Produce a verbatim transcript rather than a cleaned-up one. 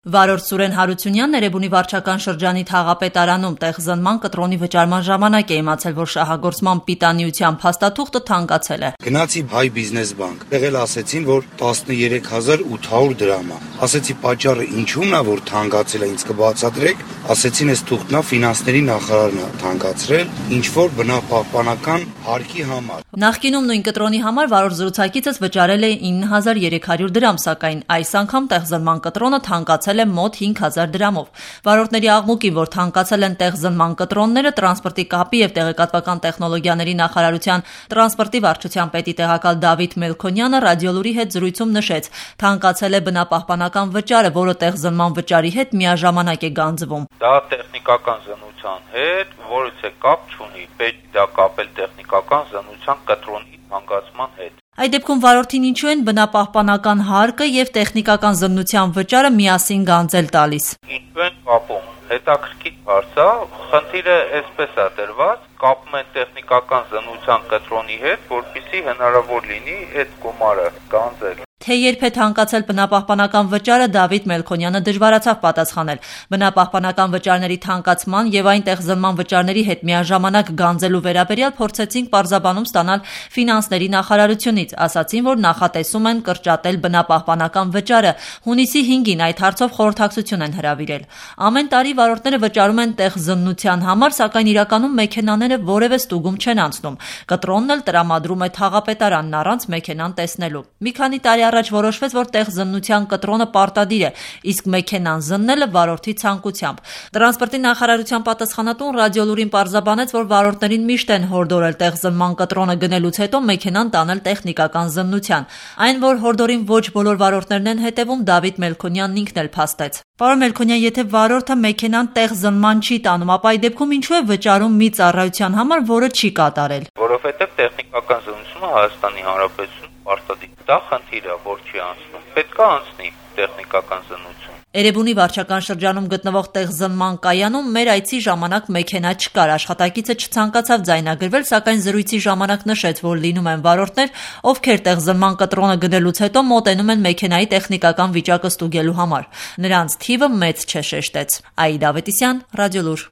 Վարորդ Սուրեն Հարությունյանն Էրեբունի վարչական շրջանի Թաղապետարանում տեղզնման կտրոնի վճարման ժամանակ է իմացել, որ շահագործման պիտանիության փաստաթուղթը թանկացել է։ Գնացի Հայ բիզնես բանկ, տեղել ասեցին, որ տասներեք հազար ութ հարյուր դրամ է։ Ասեցի պատճառը ինչու՞մն է, որ թանկացել է, ինձ կբացատրեք։ Ասեցին, այս թուղթն է ֆինանսների նախարարն է թանկացրել, ինչ որ բնապահպանական հարկի համար։ Նախկինում նույն կտրոնի համար վարորդ զրուցակիցս վճարել է ինը հազար երեք հարյուր դրամ, սակայն այս անգամ տեղզնման կտրոնը թանկացել է մոտ հինգ հազար դրամով։ Վարորդների աղմուկին, որ թանկացել են տեղզնման կտրոնները, տրանսպորտի կապի եւ տեղեկատվական տեխնոլոգիաների նախարարության տրանսպորտի վարչության պետի տեղակալ Դավիթ Մելքոնյանը ռադիոլուրի հետ զրույցում նշեց, թանկացել է բնապահպանական վճարը, որը տեղզնման վճարի հետ միաժամանակ է գանձվում։ Դա տեխնիկական զննության հետ որից է կապ չունի, պետք է դա կապել տեխնիկական զննության կտրոնի թանկացման հետ։ Այդ դեպքում վարորդին ինչու են բնապահպանական հարկը եւ տեխնիկական զննության վճարը միասին գանձել տալիս։ Ինչու են կապում։ Հետաքրքիր հարց է, խնդիրը այսպես է դրված, կապում են տեխնիկական զննության կտրոնի հետ, որպեսզի հնարավոր լինի այդ գումարը գանձել։ Թե երբ է թանկացել բնապահպանական վճարը, Դավիթ Մելքոնյանը դժվարացավ պատասխանել։ Բնապահպանական վճարների թանկացման եւ այն տեղզնման վճարների հետ միաժամանակ գանձելու վերաբերյալ փորձեցինք պարզաբանում ստանալ ֆինանսների նախարարությունից, ասացին, որ նախատեսում են կրճատել բնապահպանական վճարը։ Հունիսի հինգին այդ հարցով խորհրդակցություն են հրավիրել։ Ամեն տարի վարորդները վճարում են տեղզննության համար, սակայն իրականում մեքենաները որևէ ստուգում չեն անցնում։ Կտրոնն էլ տրամադրում է Թաղապետարանն առանց մեքենան տեսնելու։ Մի քանի տարի առաջ որոշվեց, որ տեղզննության կտրոնը պարտադիր է, իսկ մեքենան զննելը վարորդի ցանկությամբ։ Տրանսպորտի նախարարության պատասխանատուն ռադիոլուրին պարզաբանեց, որ վարորդներին միշտ են հորդորել տեղզնման կտրոնը գնելուց հետո մեքենան տանել տեխնիկական զննության։ Այն, որ հորդորին ոչ բոլոր վարորդներն են հետևում, Դավիթ Մելքոնյանն ինքն էլ փաստեց։ Պարոն Մելքոնյան, եթե վարորդը մեքենան տեղզնման չի տանում, ապա այդ դեպքում ինչու է վճարում մի ծառայության համար, որը չի կատարել։ Որովհետև տեխնիկական զննությունը Հայաստանի Հանրապետությունում պարտադիր է։ Դա խնդիր է, որ չի անցնում։ Պետք է անցնի տեխնիկական զննություն։ Էրեբունի վարչական շրջանում գտնվող տեղզնման կայանում մեր այցի ժամանակ մեքենա չկար, աշխատակիցը չցանկացավ ձայնագրվել, սակայն զրույցի ժամանակ նշեց, որ լինում են վարորդներ, ովքեր տեղզնման կտրոնը գնելուց հետո մոտենում են մեքենայի տեխնիկական վիճակը ստուգելու համար։ Նրանց թիվը մեծ չէ, շեշտեց։ Աիդա Ավետիսյան, Ռադիոլուր։